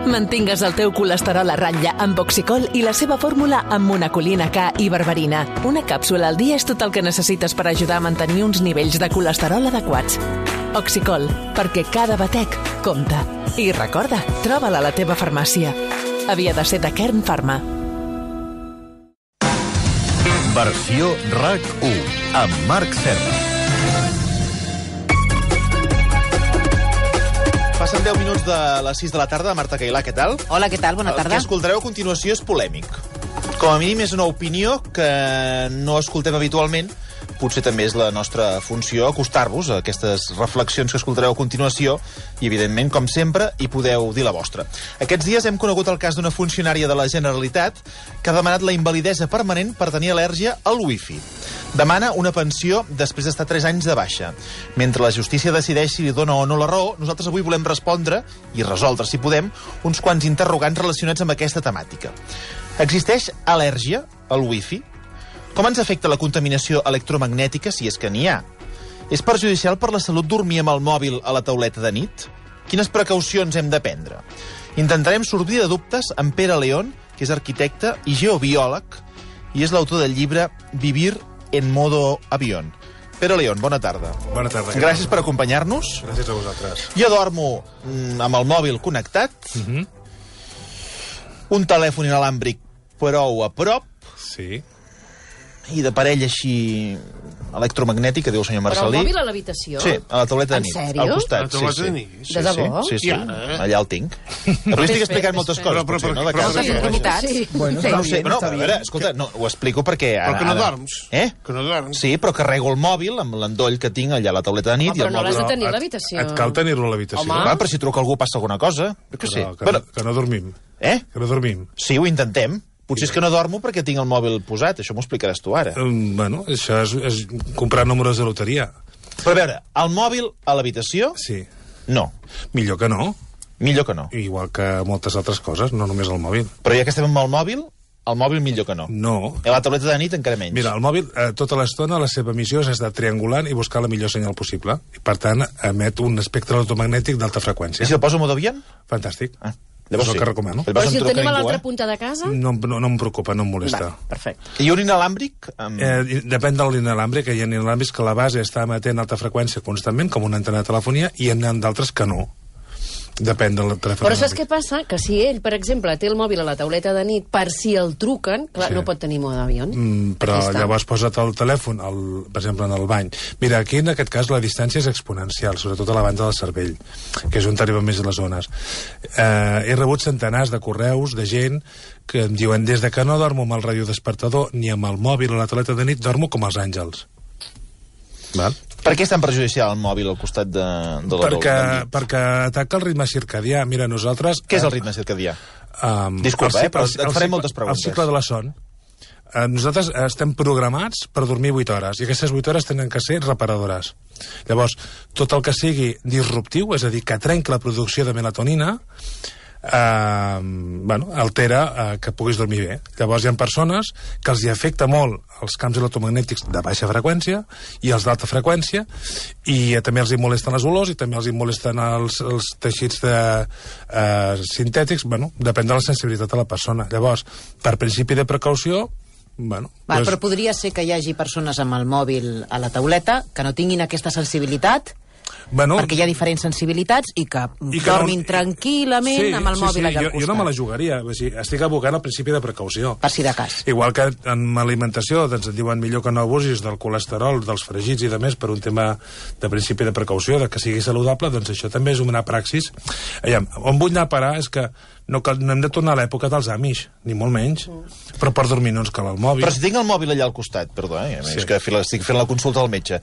Mantingues el teu colesterol a ratlla amb Oxicol i la seva fórmula amb monacolina K i berberina. Una càpsula al dia és tot el que necessites per ajudar a mantenir uns nivells de colesterol adequats. Oxicol, perquè cada batec compta. I recorda, troba-la a la teva farmàcia. Havia de ser de Kern Pharma. Versió RAC1 amb Marc Serra. Passen 10 minuts de les 6 de la tarda. Marta Cailà, què tal? Hola, què tal? Bona tarda. El que escoltareu a continuació és polèmic. Com a mínim és una opinió que no escoltem habitualment. Potser també és la nostra funció acostar-vos a aquestes reflexions que escoltareu a continuació i, evidentment, com sempre, hi podeu dir la vostra. Aquests dies hem conegut el cas d'una funcionària de la Generalitat que ha demanat la invalidesa permanent per tenir al·lèrgia al wifi. Demana una pensió després d'estar 3 anys de baixa. Mentre la justícia decideix si li dona o no la raó, nosaltres avui volem respondre, i resoldre, si podem, uns quants interrogants relacionats amb aquesta temàtica. Existeix al·lèrgia al wifi? Com ens afecta la contaminació electromagnètica, si és que n'hi ha? És perjudicial per la salut dormir amb el mòbil a la tauleta de nit? Quines precaucions hem de prendre? Intentarem sortir de dubtes amb Pere León, que és arquitecte i geobiòleg, i és l'autor del llibre Vivir en modo avión. Pere León, bona tarda. Bona tarda. Gràcies per acompanyar-nos. Gràcies a vosaltres. Jo dormo amb el mòbil connectat, un telèfon inalàmbric prou a prop, Sí. i d'aparell així electromagnètic, que diu el senyor Però Marcelí. el mòbil a l'habitació? Sí, a la tauleta de En nit. sèrio? Al costat, A la tauleta de nit? Sí, De debò? Sí, sí. I ara? Allà el tinc. Avui estic explicant moltes coses, potser, no? De casa. Moltes intimitats. Bueno, No està ho sé, bien, no, està a bien. veure, escolta, no, ho explico perquè ara... Però que no ara- dorms. Eh? Que no dorms. Sí, però carrego el mòbil amb l'endoll que tinc allà a la tauleta de nit i Però el no l'has mòbil... de tenir a l'habitació. Et cal tenir-lo a l'habitació. Home. Clar, però si truca algú passa alguna cosa. Jo què sé. Però que no dormim. Eh? Que no dormim. Sí, ho intentem. Potser és que no dormo perquè tinc el mòbil posat. Això m'ho explicaràs tu ara. Bueno, això és comprar números de loteria. Però a veure, el mòbil a l'habitació? Sí. No. Millor que no. Millor que no. Igual que moltes altres coses, no només el mòbil. Però ja que estem amb el mòbil millor que no. No. A la tauleta de nit encara menys. Mira, el mòbil, tota l'estona, la seva missió és estar triangulant i buscar la millor senyal possible. I, per tant, emet un espectre electromagnètic d'alta freqüència. I si el poso en modo avión? Fantàstic. Ah, És el que recomano. Llavors Però si em el truca tenim a ningú, l'altra punta de casa? No em preocupa, no em molesta. Va, perfecte. I un inalàmbric? Depèn de l'inalàmbric, que hi ha inalàmbrics que la base està emetent alta freqüència constantment, com una antena de telefonia, i hi ha d'altres que no. Depèn del telèfon. Però saps què passa? Que si ell, per exemple, té el mòbil a la tauleta de nit per si el truquen, clar, Sí. no pot tenir mode d'avió. Però Ja està. llavors posa't el telèfon, per exemple, en el bany. Mira, aquí en aquest cas la distància és exponencial, sobretot a la banda del cervell, que és on arriben més les zones. He rebut centenars de correus de gent que em diuen des de que no dormo amb el radiodespertador ni amb el mòbil a la tauleta de nit, dormo com els àngels. Val? Per què és tan perjudicial el mòbil al costat de la tauleta? Perquè ataca el ritme circadià. Mira, nosaltres... Què és el ritme circadià? Disculpa, però et faré moltes preguntes. El cicle de la son. Nosaltres estem programats per dormir 8 hores, i aquestes 8 hores tenen que ser reparadores. Llavors, tot el que sigui disruptiu, és a dir, que trenqui la producció de melatonina, altera que puguis dormir bé. Llavors hi ha persones que els hi afecta molt els camps electromagnètics de baixa freqüència i els d'alta freqüència, i també els hi molesten les olors i també els hi molesten els teixits sintètics. Depèn de la sensibilitat de la persona. Llavors, per principi de precaució, Però podria ser que hi hagi persones amb el mòbil a la tauleta que no tinguin aquesta sensibilitat, perquè hi ha diferents sensibilitats, i que dormin tranquil·lament amb el mòbil allà al costat. Jo no me la jugaria. Estic abocant al principi de precaució. Per si de cas. Igual que en alimentació et diuen millor que no abusis del colesterol, dels fregits i de més, per un tema de principi de precaució, de que sigui saludable, doncs això també és una praxis. On vull anar a parar és que no hem de tornar a l'època dels Amish, ni molt menys, però per dormir no ens cal el mòbil. Però si tinc el mòbil allà al costat, perdó, és que estic fent la consulta al metge.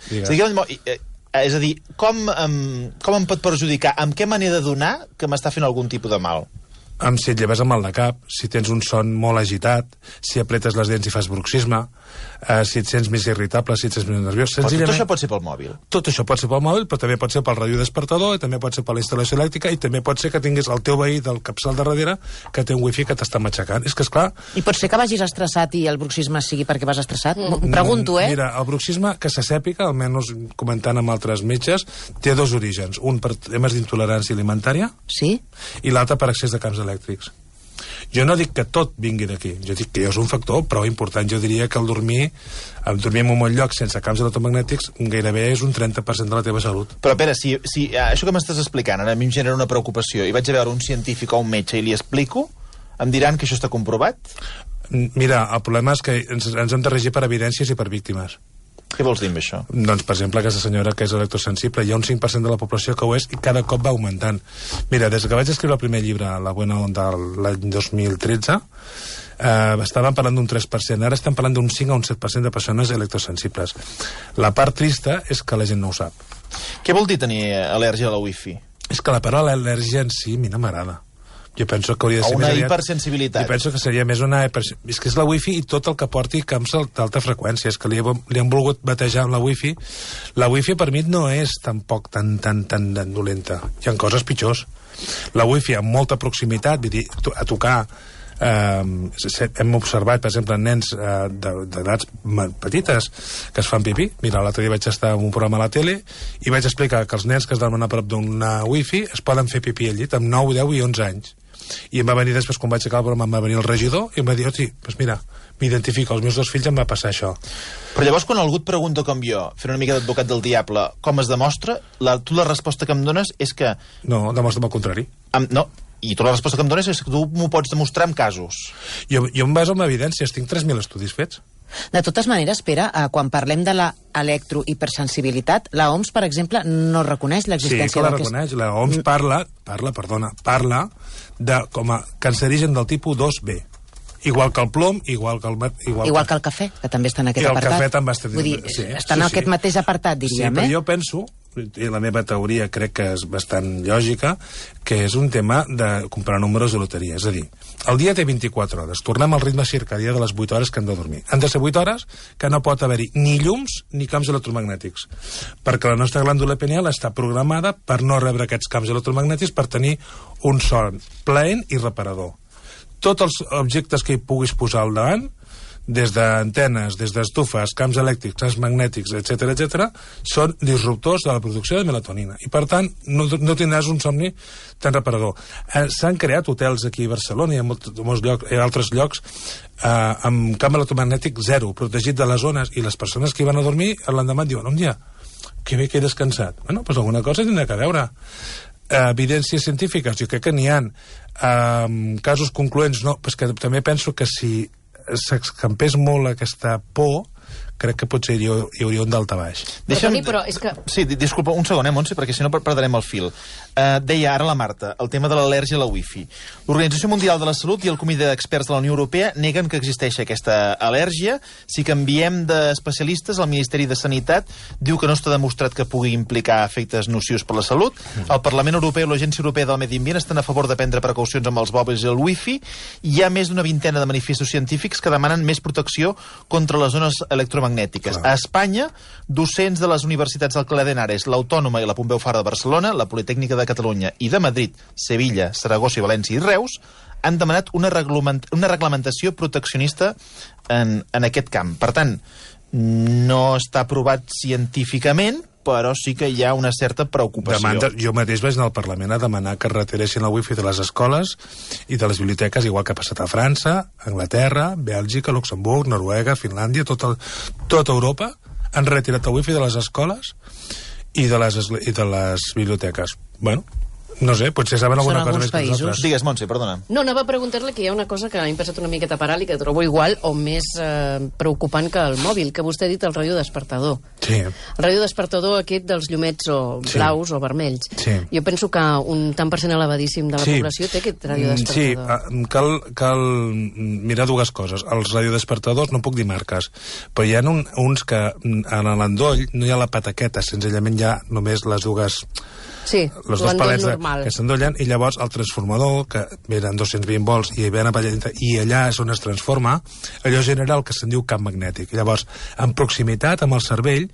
És a dir, com em pot perjudicar? Amb què me n'he de donar que m'està fent algun tipus de mal? Si et lleves amb mal de cap, si tens un son molt agitat, si apretes les dents i fas bruxisme, si et sents més irritable, si et sents més nerviós... Però tot això pot ser pel mòbil? Tot això pot ser pel mòbil, però també pot ser pel radiodespertador, i també pot ser per la instal·lació elèctrica, i també pot ser que tinguis el teu veí del capçal de darrere que té un wifi que t'està matxacant. És que, esclar... I pot ser que vagis estressat i el bruxisme sigui perquè vas estressat? Pregunto, Mira, el bruxisme, que se sàpiga, almenys comentant amb altres metges, té 2 orígens. Un per temes d'intolerància alimentària, sí, i l'altre per excés de camps elèctrics. Jo no dic que tot vingui d'aquí, jo dic que és un factor prou important. Jo diria que el dormir en un bon lloc sense camps electromagnètics gairebé és un 30% de la teva salut. Però, Pere, si això que m'estàs explicant ara a mi em genera una preocupació i vaig a veure un científic o un metge i li explico, em diran que això està comprovat? Mira, el problema és que ens hem de regir per evidències i per víctimes. Què vols dir amb això? Doncs, per exemple, aquesta senyora que és electrosensible, hi ha un 5% de la població que ho és i cada cop va augmentant. Mira, des que vaig escriure el primer llibre, La Buena Onda, l'any 2013, estàvem parlant d'un 3%, ara estem parlant d'un 5 a un 7% de persones electrosensibles. La part trista és que la gent no ho sap. Què vol dir tenir al·lèrgia a la wifi? És que la paraula al·lèrgia en si a mi no m'agrada. Jo penso que hauria de ser una hipersensibilitat. Jo penso que seria més una és que és la wifi i tot el que porti camps d'alta freqüència. És que li han volgut batejar amb la wifi. La wifi per mi no és tampoc tan dolenta. Hi ha coses pitjors. La wifi amb molta proximitat, vull dir, a tocar... hem observat, per exemple, nens d'edats petites que es fan pipí. Mira, l'altre dia vaig estar en un programa a la tele i vaig explicar que els nens que es dormen a prop d'una wifi es poden fer pipí al llit amb 9, 10 i 11 anys. I em va venir després, quan vaig acabar el programa, em va venir el regidor i em va dir, hosti, doncs mira, m'identifico, als meus 2 fills em va passar això. Però llavors, quan algú et pregunta com jo, fent una mica d'advocat del diable, com es demostra, tu la resposta que em dones és que... No, demostra'm el contrari. No, i tu la resposta que em dones és que tu m'ho pots demostrar amb casos. Jo em baso en evidències, tinc 3.000 estudis fets. De totes maneres, Pere, quan parlem de la electrohipersensibilitat, la OMS, per exemple, no reconeix l'existència sí, que la reconeix. La OMS parla de com a cancerigen del tipus 2B. Igual que el plom, igual que el cafè, que també està en aquest apartat. I el cafè també està... Vull dir, està en aquest mateix apartat, diríem, Sí, però jo penso, i la meva teoria crec que és bastant lògica, que és un tema de comprar números de loteria. És a dir, el dia té 24 hores. Tornem al ritme circadià de les 8 hores que hem de dormir. Han de ser 8 hores que no pot haver-hi ni llums ni camps electromagnètics. Perquè la nostra glàndula pineal està programada per no rebre aquests camps electromagnètics, per tenir un son plaent i reparador. Tots els objectes que hi puguis posar al davant, des d'antenes, des d'estufes, camps elèctrics, camps magnètics, etc., són disruptors de la producció de melatonina. I, per tant, no tindràs un somni tan reparador. S'han creat hotels aquí a Barcelona i a molts llocs, i a altres llocs amb camp electromagnètic zero, protegit de les zones, i les persones que hi van a dormir l'endemà diuen, dia, que bé que he descansat. Bueno, doncs alguna cosa tindrà que veure. Evidències científiques, jo crec que n'hi ha. Casos concloents, no, però que també penso que si s'escampés molt aquesta por, crec que potser hi hauria un daltabaix. Però és que... Sí, disculpa, un segon, Montse, perquè si no perdrem el fil. Deia ara la Marta, el tema de l'al·lèrgia a la wifi. L'Organització Mundial de la Salut i el Comitè d'Experts de la Unió Europea neguen que existeix aquesta al·lèrgia. Si canviem d'especialistes, el Ministeri de Sanitat diu que no està demostrat que pugui implicar efectes nocius per la salut. El Parlament Europeu i l'Agència Europea del Medi Ambient estan a favor de prendre precaucions amb els mòbils i el wifi. Hi ha més d'una vintena de manifestos científics que demanen més protecció contra les zones electromagnètiques. A Espanya, docents de les universitats d'Alcalá de Henares, l'Autònoma i la Pompeu Fabra de Barcelona, la Politècnica de Catalunya i de Madrid, Sevilla, Saragossa i València i Reus han demanat una reglamentació proteccionista en aquest camp. Per tant, no està aprovat científicament, però sí que hi ha una certa preocupació. Jo mateix vaig anar al Parlament a demanar que es retireixin la wifi de les escoles i de les biblioteques, igual que ha passat a França, Anglaterra, Bèlgica, Luxemburg, Noruega, Finlàndia, tota Europa han retirat el wifi de les escoles i de les biblioteques. Bueno, no sé, potser saben alguna cosa més que nosaltres. Digues, Montse, perdona. No, anava a preguntar-li que hi ha una cosa que m'ha passat una miqueta per alt i que trobo igual o més preocupant que el mòbil, que vostè ha dit el radiodespertador. Sí. El radiodespertador aquest dels llumets o blaus o vermells. Sí. Jo penso que un tant per cent elevadíssim de la població té aquest radiodespertador. Sí, cal mirar dues coses. Els radiodespertadors, no puc dir marques, però hi ha uns que en l'endoll no hi ha la pataqueta, senzillament hi ha només les dues... Sí, les dos palets que s'endollen, i llavors el transformador, que venen 220 volts i allà és on es transforma, allò genera el que se'n diu camp magnètic. Llavors, en proximitat amb el cervell,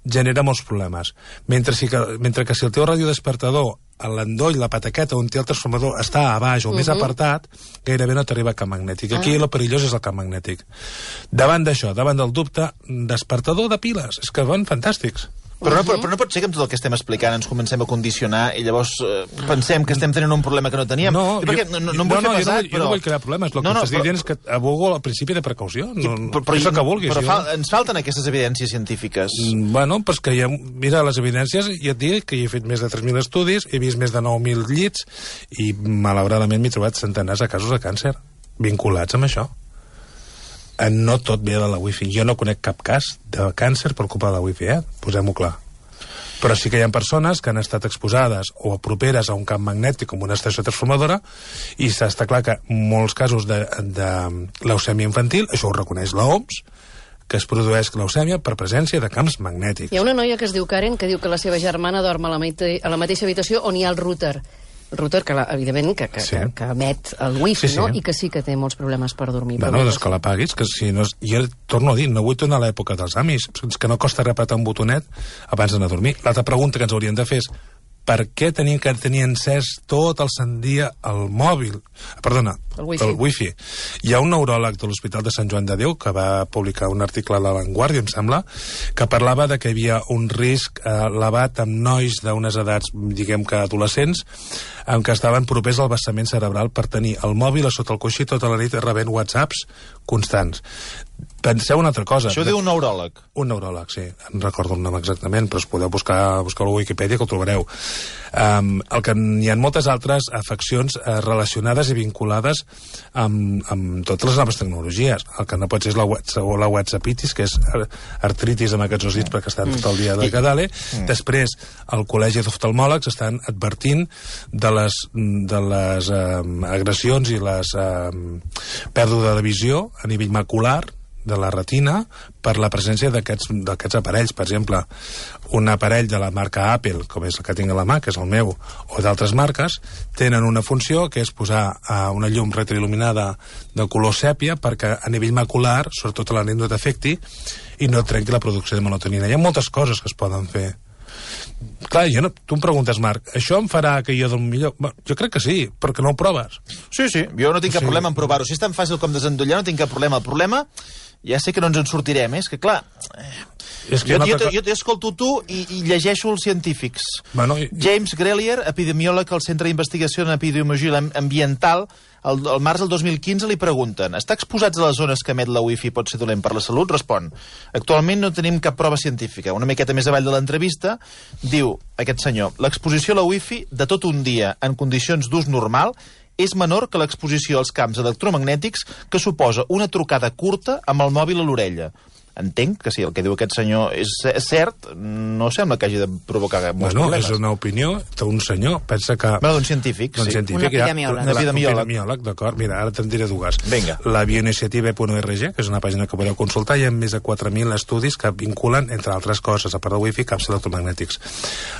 genera molts problemes. Mentre que si el teu radiodespertador, a l'endoll, la pataqueta on té el transformador, està a baix o més apartat, gairebé no t'arriba camp magnètic. Aquí el perillós és el camp magnètic. Davant d'això, davant del dubte, despertador de piles, és que van fantàstics. Però no pot ser que amb tot el que estem explicant ens comencem a condicionar i llavors pensem que estem tenint un problema que no teníem. No, jo no vull crear problemes. El que t'estic dient és que abogo el principi de precaució. És el que vulguis. Però ens falten aquestes evidències científiques. Bueno, doncs que mira, les evidències, ja et dic que hi he fet més de 3.000 estudis, he vist més de 9.000 llits i, malauradament, m'he trobat centenars de casos de càncer vinculats amb això. No tot ve de la wifi. Jo no conec cap cas de càncer per culpa de la wifi, posem-ho clar. Però sí que hi ha persones que han estat exposades o properes a un camp magnètic com una estació transformadora i està clar que molts casos de leucèmia infantil, això ho reconeix l'OMS, que es produeix leucèmia per presència de camps magnètics. Hi ha una noia que es diu Karen que diu que la seva germana dorm a la mateixa habitació on hi ha el router. El router, que evidentment, que emet el wifi, no? I que sí que té molts problemes per dormir. Bueno, doncs que l'apaguis, que si no... Jo torno a dir, no vull tornar a l'època dels amis, que no costa repetir un botonet abans d'anar a dormir. L'altra pregunta que ens hauríem de fer és per què tenir encès tot el sant dia el mòbil? Perdona, el wifi. Hi ha un neuròleg de l'Hospital de Sant Joan de Déu que va publicar un article a La Vanguardia, em sembla, que parlava de que hi havia un risc elevat amb nois d'unes edats, diguem que adolescents, en què estaven propers al vessament cerebral per tenir el mòbil a sota el coixí tota la nit rebent whatsapps constants. Penseu una altra cosa. Això diu un neuròleg. Un neuròleg, sí. No recordo el nom exactament, però us podeu buscar a la Wikipedia que ho trobareu. Hi ha moltes altres afeccions relacionades i vinculades amb totes les noves tecnologies. El que no pot ser és la whatsappitis, que és artritis amb aquests osits perquè estan tot el dia de cadale. Després, al Col·legi d'Oftalmòlegs estan advertint de les agressions i les pèrdua de visió a nivell macular de la retina per la presència d'aquests aparells. Per exemple, un aparell de la marca Apple, com és el que tinc a la mà, que és el meu, o d'altres marques, tenen una funció que és posar una llum retroil·luminada de color sèpia perquè a nivell macular, sobretot a la nit, no t'afecti i no trenqui la producció de melatonina. Hi ha moltes coses que es poden fer. Clar, tu em preguntes, Marc, això em farà que jo dormi millor? Jo crec que sí, perquè no ho proves. Sí, jo no tinc cap problema en provar-ho. Si és tan fàcil com desendollar, no tinc cap problema. El problema, ja sé que no ens en sortirem, és que, clar, jo t'escolto tu i llegeixo els científics. James Grelier, epidemiòleg al Centre d'Investigació en Epidemiologia Ambiental, al març del 2015 li pregunten: estar exposats a les zones que emet la wifi pot ser dolent per la salut? Respon: actualment no tenim cap prova científica. Una miqueta més avall de l'entrevista diu aquest senyor: l'exposició a la wifi de tot un dia en condicions d'ús normal és menor que l'exposició als camps electromagnètics que suposa una trucada curta amb el mòbil a l'orella. Entenc que si el que diu aquest senyor és cert, no sembla que hagi de provocar molts problemes. És una opinió d'un senyor, pensa que... d'un científic, sí. Un epidemiòleg. D'acord. Mira, ara te'n diré dues. Vinga. La bioiniciativa.org, que és una pàgina que podeu consultar, hi ha més de 4.000 estudis que vinculen, entre altres coses, a part del wifi, camps electromagnètics.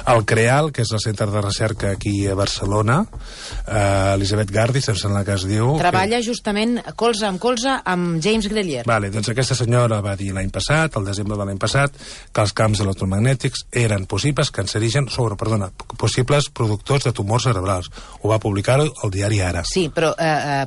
El CREAL, que és el centre de recerca aquí a Barcelona, Elisabet Gardis, em sembla que es diu... Treballa justament colze amb James Grelier. Vale, doncs aquesta senyora va dir l'any passat, al desembre de l'any passat, que els camps electromagnètics eren possibles productors de tumors cerebrals. Ho va publicar el diari Ara. Sí, però,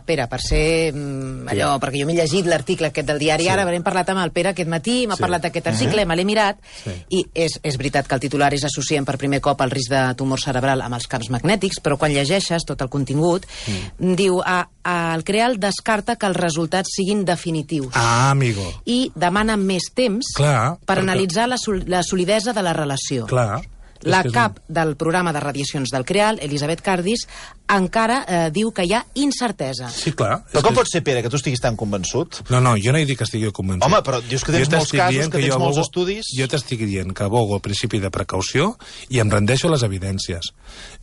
Pere, per ser allò, perquè jo m'he llegit l'article aquest del diari Ara, hem parlat amb el Pere aquest matí, m'ha parlat d'aquest article, me l'he mirat, i és veritat que el titular és associen per primer cop el risc de tumor cerebral amb els camps magnètics, però quan llegeixes tot el contingut, diu, el CREAL descarta que els resultats siguin definitius. Amigo. I demana més temps per analitzar la solidesa de la relació. Clar. La cap del programa de radiacions del CREAL, Elisabet Gardis, encara diu que hi ha incertesa. Sí, clar. Però com pot ser, Pere, que tu estiguis tan convençut? No, jo no he dit que estigui convençut. Home, però dius que tens molts casos, que tens molts estudis... Jo t'estic dient que abogo el principi de precaució i em rendeixo a les evidències.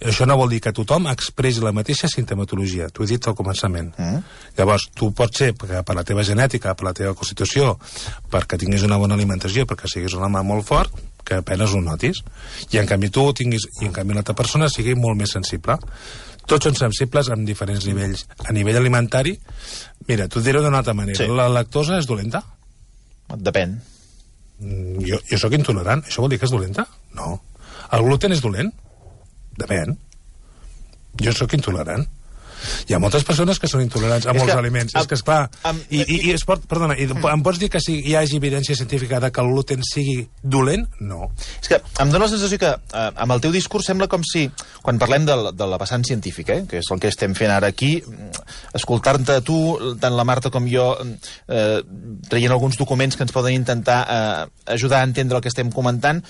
Això no vol dir que tothom expressi la mateixa sintomatologia. T'ho he dit al començament. Llavors, tu pots ser, per la teva genètica, per la teva constitució, perquè tinguis una bona alimentació, perquè siguis un home molt fort, que apenes ho notis, i en canvi tu ho tinguis, i en canvi l'altra persona sigui molt més sensible. Tots són sensibles en diferents nivells. A nivell alimentari, mira, t'ho diré d'una altra manera. Sí. La lactosa és dolenta? Depèn. Jo sóc intolerant. Això vol dir que és dolenta? No. El gluten és dolent? Depèn. Jo sóc intolerant. Hi ha moltes persones que són intolerants a molts aliments. És que, esclar, em pots dir que hi hagi evidència científica de que el gluten sigui dolent? No. És que em dóna la sensació que amb el teu discurs sembla com si, quan parlem de la vessant científica, que és el que estem fent ara aquí, escoltar-te a tu, tant la Marta com jo, traient alguns documents que ens poden intentar ajudar a entendre el que estem comentant,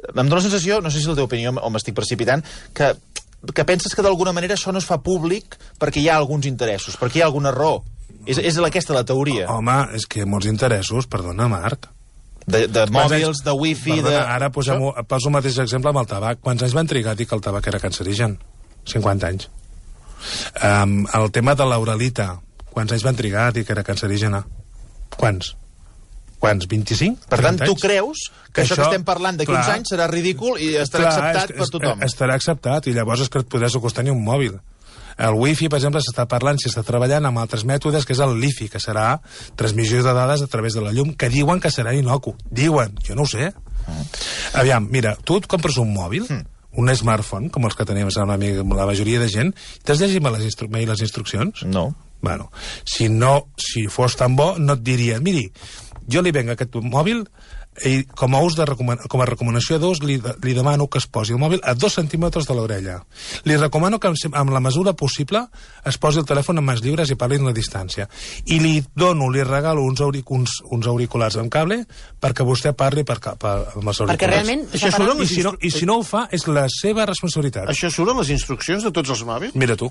em dóna la sensació, no sé si és la teva opinió o m'estic precipitant, que penses que d'alguna manera això no es fa públic perquè hi ha alguns interessos, perquè hi ha alguna raó. És aquesta la teoria. Home, és que hi ha molts interessos, perdona, Marc. De mòbils, de wifi... Ara poso el mateix exemple amb el tabac. Quants anys van trigar a dir que el tabac era cancerigen? 50 anys. El tema de l'uralita, quants anys van trigar a dir que era cancerígena? Quants? 25? Per tant, tu creus que això que estem parlant d'aquí uns anys serà ridícul i estarà acceptat per tothom? Estarà acceptat, i llavors és que et podràs acostar ni un mòbil. El wifi, per exemple, s'està parlant, s'està treballant amb altres mètodes, que és el LiFi, que serà transmissió de dades a través de la llum, que diuen que serà inocu. Diuen, jo no ho sé. Aviam, mira, tu et compres un mòbil, un smartphone, com els que tenim la majoria de gent, t'has llegit mai les instruccions? No. Bueno, si fos tan bo, no et diria, miri, jo li venc aquest mòbil i com a recomanació d'ús li demano que es posi el mòbil a 2 centímetres de l'orella. Li recomano que amb la mesura possible es posi el telèfon en mans lliures i parli en la distància. I li regalo uns auriculars amb cable perquè vostè parli amb els auriculars. Perquè realment... I si no ho fa, és la seva responsabilitat. Això surt en les instruccions de tots els mòbils? Mira tu.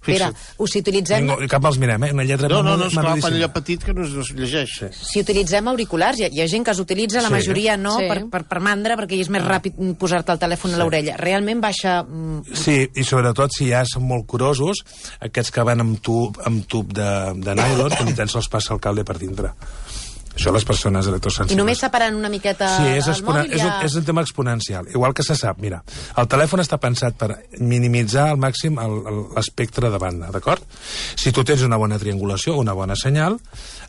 Espera, si utilitzem... Cap els mirem, una lletra... No, esclar, per allò petit que no es llegeix. Si utilitzem auriculars, hi ha gent que els utilitza, la majoria no, per mandra, perquè és més ràpid posar-te el telèfon a l'orella. Realment baixa... Sí, i sobretot si ja són molt curosos, aquests que van amb tub de nylon, que ni tan sols passa el cable per dintre. Això les persones electrosensibles. I només separant una miqueta el mòbil ja... És un tema exponencial. Igual que se sap, mira, el telèfon està pensat per minimitzar al màxim l'espectre de banda, d'acord? Si tu tens una bona triangulació, una bona senyal,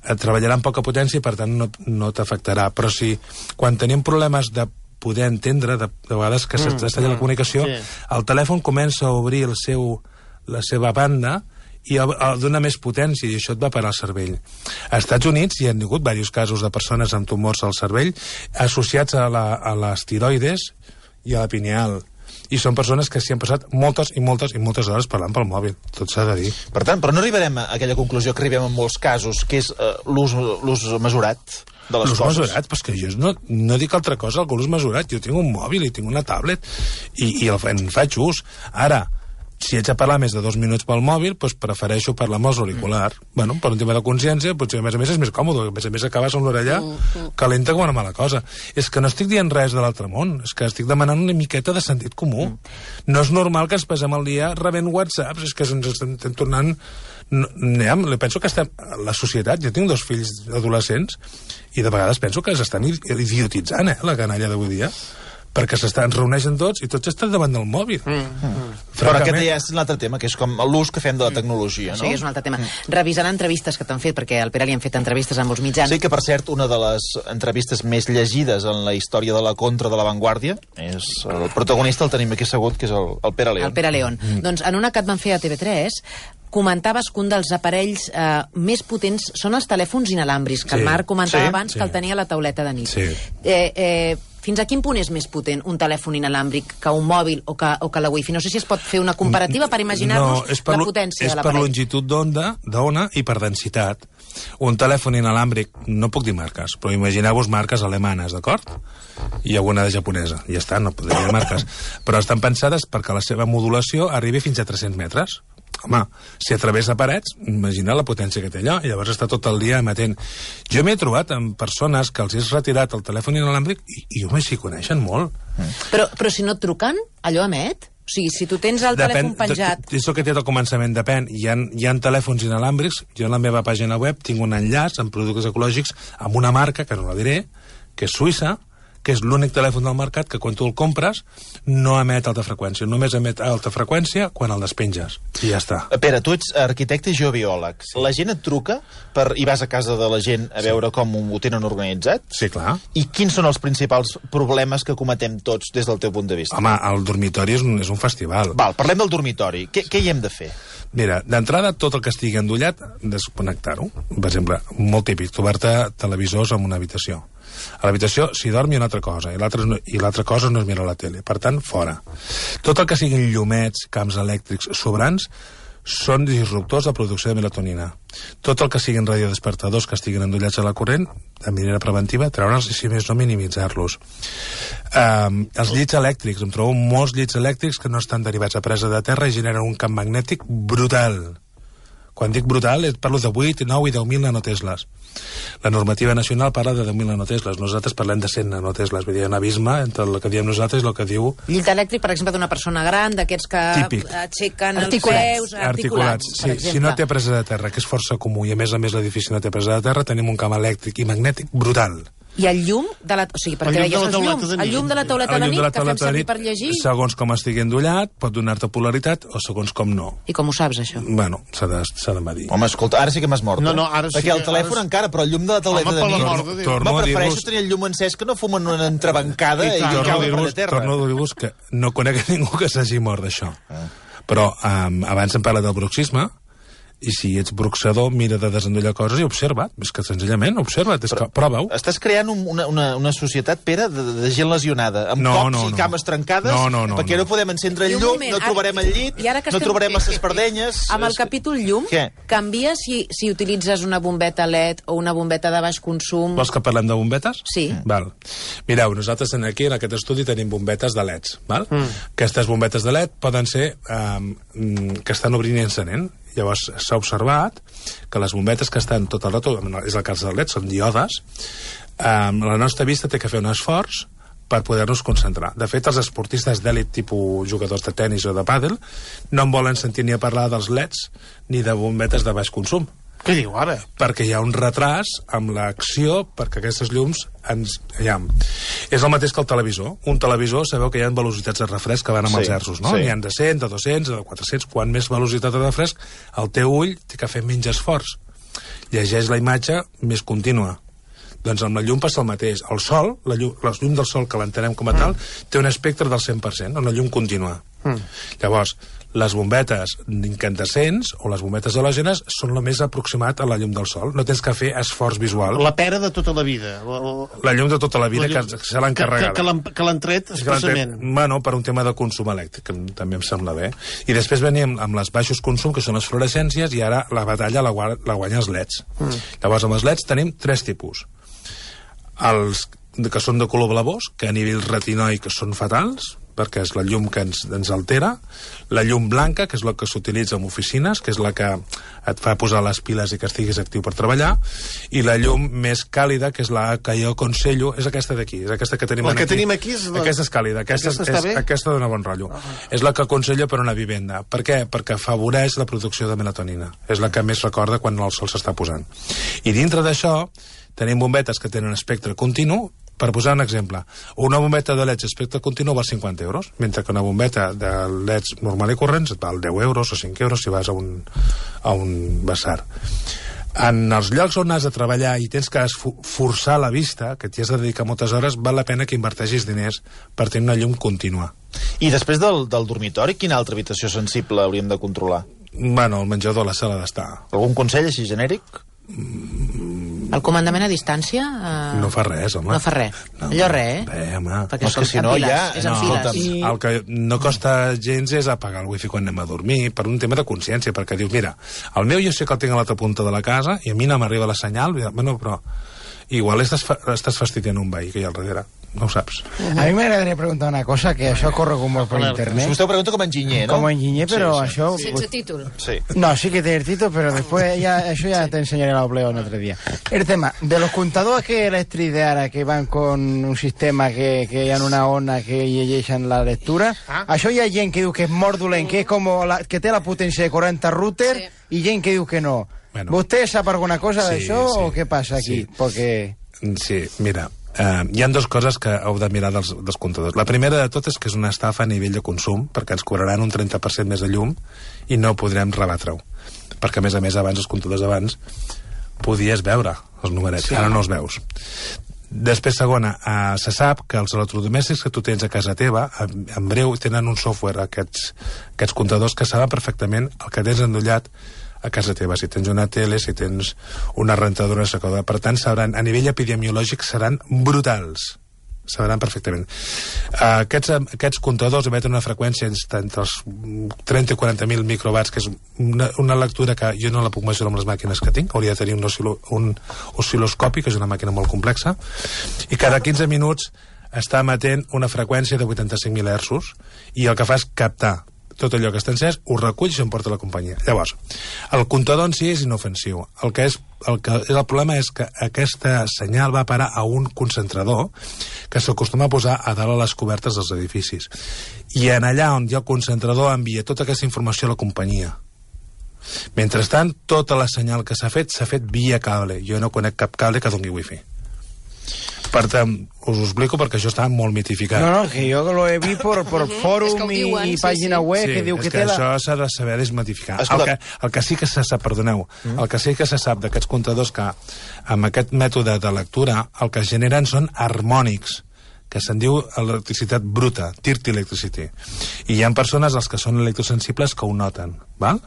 treballarà amb poca potència i per tant no t'afectarà. Però si quan tenim problemes de poder entendre, de vegades que s'estalla la comunicació, el telèfon comença a obrir la seva banda i dona més potència, i això et va parar al cervell. Als Estats Units hi ha hagut diversos casos de persones amb tumors al cervell associats a les tiroides i a la pineal. I són persones que s'hi han passat moltes i moltes i moltes hores parlant pel mòbil. Tot s'ha de dir. Per tant, però no arribarem a aquella conclusió que arribem en molts casos, que és l'ús mesurat de les coses. L'ús mesurat? Però és que jo no dic altra cosa que l'ús mesurat. Jo tinc un mòbil i tinc una tablet i en faig ús. Ara, si haig de parlar més de 2 minuts pel mòbil, doncs prefereixo parlar amb els auriculars. Bueno, per un tema de consciència, potser a més és més còmode, a més acabes amb l'orella calenta com una mala cosa. És que no estic dient res de l'altre món, és que estic demanant una miqueta de sentit comú. No és normal que ens passem el dia rebent whatsapps, és que ens estem tornant... Penso que la societat, jo tinc 2 fills adolescents, i de vegades penso que s'estan idiotitzant, la canalla d'avui dia, perquè ens reuneixen tots i tots estan davant del mòbil. Però aquest ja és un altre tema, que és com l'ús que fem de la tecnologia, no? Sí, és un altre tema. Revisant entrevistes que t'han fet, perquè al Pere li han fet entrevistes amb molts mitjans. Sí, que per cert, una de les entrevistes més llegides en la història de la Contra de La Vanguardia, és el protagonista, el tenim aquí assegut, que és el Pere León. El Pere León. Doncs en una que et van fer a TV3, comentaves que un dels aparells més potents són els telèfons inalàmbrics, que el Marc comentava abans que el tenia a la tauleta de nit. Fins a quin punt és més potent un telèfon inalàmbric que un mòbil o que la wifi? No sé si es pot fer una comparativa per imaginar-nos la potència de l'aparell. És per longitud d'ona i per densitat. Un telèfon inalàmbric, no puc dir marques, però imagineu-vos marques alemanes, d'acord? I alguna de japonesa. Ja està, no podria dir marques. Però estan pensades perquè la seva modulació arribi fins a 300 metres. Home, si atravessa parets, imagina la potència que té allò, i llavors està tot el dia emetent. Jo m'he trobat amb persones que els has retirat el telèfon inalàmbric i home, s'hi coneixen molt. Però si no et truquen, allò emet? O sigui, si tu tens el telèfon penjat... És el que té al començament, depèn. Hi ha telèfons inalàmbrics, jo en la meva pàgina web tinc un enllaç amb productes ecològics amb una marca, que no la diré, que és suïssa, que és l'únic telèfon del mercat que quan tu el compres no emet alta freqüència, només emet alta freqüència quan el despenges, i ja està. Pere, tu ets arquitecte i jo biòleg. Sí. La gent et truca i vas a casa de la gent a veure com ho tenen organitzat? Sí, clar. I quins són els principals problemes que cometem tots des del teu punt de vista? Home, el dormitori és un festival. Val, parlem del dormitori. Què hi hem de fer? Mira, d'entrada, tot el que estigui endollat, desconnectar-ho. Per exemple, molt típic, trobar-te televisors en una habitació. A l'habitació s'hi dormi una altra cosa, i l'altra cosa no es mira la tele. Per tant, fora. Tot el que siguin llumets, camps elèctrics sobrants, són disruptors de producció de melatonina. Tot el que siguin radiodespertadors que estiguin endollats a la corrent, de manera preventiva, treure'ls i, si més no, minimitzar-los. Els llits elèctrics, em trobo molts llits elèctrics que no estan derivats a presa de terra i generen un camp magnètic brutal. Quan dic brutal, parlo de 8, 9 i 10.000 nanotesles. La normativa nacional parla de 10.000 nanotesles. Nosaltres parlem de 100 nanotesles. Vull dir, hi ha un abisme entre el que diem nosaltres i el que diu... Llit elèctric, per exemple, d'una persona gran, d'aquests que aixequen els peus... Articulats. Sí, si no té presa de terra, que és força comú, i a més l'edifici no té presa de terra, tenim un camp elèctric i magnètic brutal. I el llum de la... O sigui, perquè deies els llums. El llum de la tauleta de nit, que fem servir per llegir... Segons com estigui endollat, pot donar-te polaritat, o segons com no. I com ho saps, això? Bueno, s'ha de medir. Home, escolta, ara sí que m'has mort. No, ara sí. Perquè el telèfon encara, però el llum de la tauleta de nit... Prefereixo tenir el llum encès que no fumen una entrebancada i cauen per terra. Torno a dir-vos que no conec ningú que s'hagi mort d'això. Però abans em parla del bruxisme, i si ets bruxador, mira de desendollar coses i observa't. És que senzillament observa't, prova-ho. Estàs creant una societat, Pere, de gent lesionada, amb cops i cames trencades, perquè no podem encendre el llum, no trobarem el llit, no trobarem les espardenyes... Amb el capítol llum, canvia si utilitzes una bombeta LED o una bombeta de baix consum... Vols que parlem de bombetes? Sí. Val. Mireu, nosaltres aquí, en aquest estudi, tenim bombetes de LEDs. Val? Aquestes bombetes de LED poden ser que estan obrint i encenent. Llavors s'ha observat que les bombetes que estan tot el rato, és el cas del LED, són diodes, la nostra vista té que fer un esforç per poder-nos concentrar. De fet, els esportistes d'èlit, tipus jugadors de tennis o de pàdel, no en volen sentir ni a parlar dels LEDs ni de bombetes de baix consum. Què diu ara? Perquè hi ha un retras amb l'acció perquè aquestes llums és el mateix que el televisor. Un televisor, sabeu que hi ha velocitats de refresc que van amb els hertzos, no? N'hi ha de 100, de 200, de 400. Quan més velocitat de refresc, el teu ull té que fer menys esforç. Llegeix la imatge més contínua. Doncs amb la llum passa el mateix. El sol, la llum del sol, que l'entenem com a tal, té un espectre del 100%, una llum contínua. Llavors, les bombetes incandescents o les bombetes halògenes són el més aproximat a la llum del sol. No tens que fer esforç visual. La pera de tota la vida. La llum de tota la vida, que se l'ha encarregat. Que l'han tret expressament. Bueno, per un tema de consum elèctric, que també em sembla bé. I després venim amb les baixos consum, que són les fluorescències, i ara la batalla la guanyen els LEDs. Llavors, amb els LEDs tenim 3 tipus. Els que són de color blavós, que a nivell retinoic són fatals, perquè és la llum que ens altera, la llum blanca, que és la que s'utilitza en oficines, que és la que et fa posar les piles i que estiguis actiu per treballar, i la llum més càlida, que és la que jo aconsello, és aquesta d'aquí, és aquesta que tenim aquí. La que tenim aquí és... Aquesta és càlida, aquesta dona bon rotllo. És la que aconsello per una vivenda. Per què? Perquè afavoreix la producció de melatonina. És la que més recorda quan el sol s'està posant. I dintre d'això tenim bombetes que tenen espectre continu. Per posar un exemple, una bombeta de LEDs espectre continu val 50 euros, mentre que una bombeta de LEDs normal i corrents et val 10 euros o 5 euros si vas a un basar. En els llocs on has de treballar i tens que forçar la vista, que t'hi has de dedicar moltes hores, val la pena que inverteixis diners per tenir una llum contínua. I després del dormitori, quina altra habitació sensible hauríem de controlar? Bueno, el menjador, la sala d'estar. Algun consell així genèric? El comandament a distància... No fa res, home. No fa res. No, allò res, Bé, home. Perquè és que si no ja... És en files. El que no costa gens és apagar el wifi quan anem a dormir, per un tema de consciència, perquè dius, mira, el meu jo sé que el tinc a l'altra punta de la casa i a mi no m'arriba la senyal, bueno, però igual estàs fastidiant un veí que hi ha al darrere. No ho saps. A mi m'agradaria preguntar una cosa, que això corre com molt per internet. Vostè ho pregunta com a enginyer, ¿no? Como enginyer, pero això... Sense títol. Sí. No, sí que tiene el título, pero después eso ya te enseñaré la obleo en otro día. El tema de los contadores que electric de ara que van con un sistema que hi ha una ona que llegeixen la lectura, això hi ha gent que diu que és molt dolent, que és com que té la potència de 40 router, i gent que diu que no. Bueno. ¿Vostè sap alguna cosa d'això o què passa aquí? Porque... Sí, mira... Hi ha dues coses que heu de mirar dels comptadors. La primera de tot és que és una estafa a nivell de consum, perquè ens cobraran un 30% més de llum i no podrem rebatre-ho. Perquè, a més, abans, els comptadors abans, podies veure els numerets, ara no els veus. Després, segona, se sap que els electrodomèstics que tu tens a casa teva, en breu, tenen un software, aquests comptadors, que saben perfectament el que tens endollat a casa teva, si tens una tele, si tens una rentadora, una secadora. Per tant, sabran, a nivell epidemiològic seran brutals. Sabran perfectament. Aquests comptadors emeten una freqüència entre els 30 i 40.000 microwatts, que és una lectura que jo no la puc mesurar amb les màquines que tinc, hauria de tenir un oscil·loscopi, que és una màquina molt complexa, i cada 15 minuts està emetent una freqüència de 85.000 hertzos, i el que fa és captar tot allò que està encès, ho recull i s'emporta la companyia. Llavors, el comptador en si és inofensiu. El problema és que aquesta senyal va parar a un concentrador que s'acostuma a posar a dalt a les cobertes dels edificis. I en allà on hi ha el concentrador envia tota aquesta informació a la companyia. Mentrestant, tota la senyal que s'ha fet via cable. Jo no conec cap cable que doni wifi. Per tant, us ho explico perquè això està molt mitificat. No, que jo lo he vist per fòrum i pàgina web que diu que té això s'ha de saber desmitificar. El que sí que se sap, perdoneu, el que sí que se sap d'aquests comptadors que amb aquest mètode de lectura el que generen són harmònics, que se'n diu electricitat bruta, dirty electricity. I hi ha persones, els que són electrosensibles, que ho noten, val?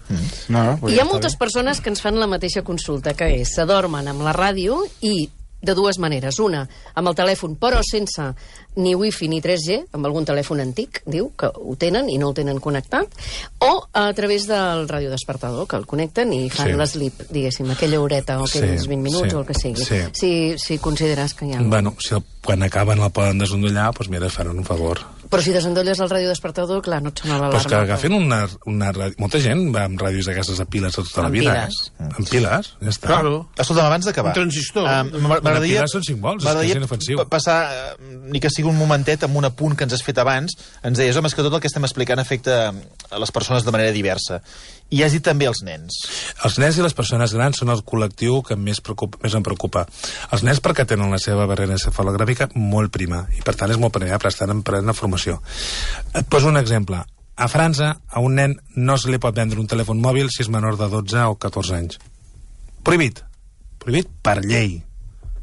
Hi ha moltes persones que ens fan la mateixa consulta, que és, s'adormen amb la ràdio i de dues maneres. Una, amb el telèfon, però sense ni wifi ni 3G, amb algun telèfon antic, diu, que ho tenen i no el tenen connectat, o a través del radiodespertador, que el connecten i fan l'eslip, diguéssim, aquella horeta o aquells 20 minuts o el que sigui. Si consideres que hi ha... Bueno, si quan acaben el poden desendollar, doncs mira, faran un favor. Però si desendolles el radiodespertador, clar, no et sona l'alarma. Però és que agafen una ràdio... Molta gent va amb ràdios d'aquestes a piles tota la vida. Amb piles, ja està. Claro. Escolta'm, abans d'acabar... Un transistor. M'agradaria... Piles són 5 volts, és que és inofensiu. Passar, ni que sigui un momentet, amb un apunt que ens has fet abans, ens deies, home, és que tot el que estem explicant afecta a les persones de manera diversa. I has dit també els nens. Els nens i les persones grans són el col·lectiu que més em preocupa. Els nens perquè tenen la seva barrera encefalogràfica molt prima, i per tant és molt permeable, estan prenent formació. Et poso un exemple. A França, a un nen no se li pot vendre un telèfon mòbil si és menor de 12 o 14 anys. Prohibit. Prohibit per llei.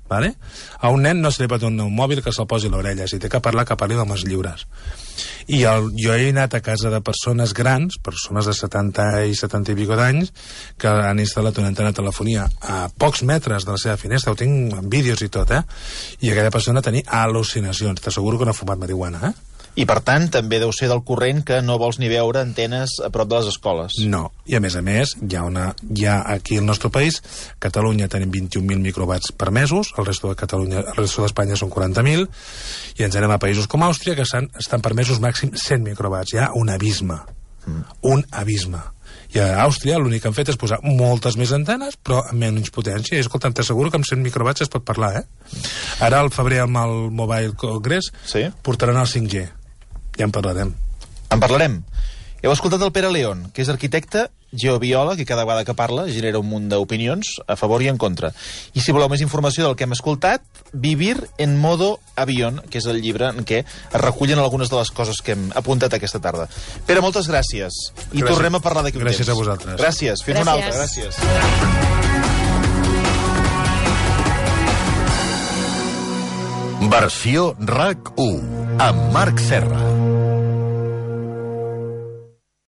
Vale? A un nen no se li pot donar un mòbil que se'l posi a l'orella. Si té que parlar, que parli d'homes lliures. I jo he anat a casa de persones grans, persones de 70 i 70 i pico d'anys, que han instal·lat una antena de telefonia a pocs metres de la seva finestra, ho tinc en vídeos i tot, i aquella persona tenia al·lucinacions. T'asseguro que no ha fumat marihuana, I, per tant, també deu ser del corrent que no vols ni veure antenes a prop de les escoles. No. I, a més, hi ha aquí al nostre país, Catalunya tenim 21.000 microwatts per mesos, el resto d'Espanya són 40.000, i ens anem a països com Àustria, que estan per mesos màxim 100 microwatts. Hi ha un abisme. Un abisme. I a Àustria l'únic que han fet és posar moltes més antenes, però amb menys potència. I escolta'm, t'asseguro que amb 100 microwatts es pot parlar, Ara, al febrer, amb el Mobile Congress, portaran el 5G. Ja en parlarem. En parlarem. Heu escoltat el Pere León, que és arquitecte, geobiòleg, i cada vegada que parla genera un munt d'opinions a favor i en contra. I si voleu més informació del que hem escoltat, Vivir en modo avión, que és el llibre en què es recullen algunes de les coses que hem apuntat aquesta tarda. Pere, moltes gràcies. I tornem a parlar d'aquí un temps. Gràcies a vosaltres. Gràcies. Fins una altra. Gràcies. Versió RAC 1 amb Marc Serra.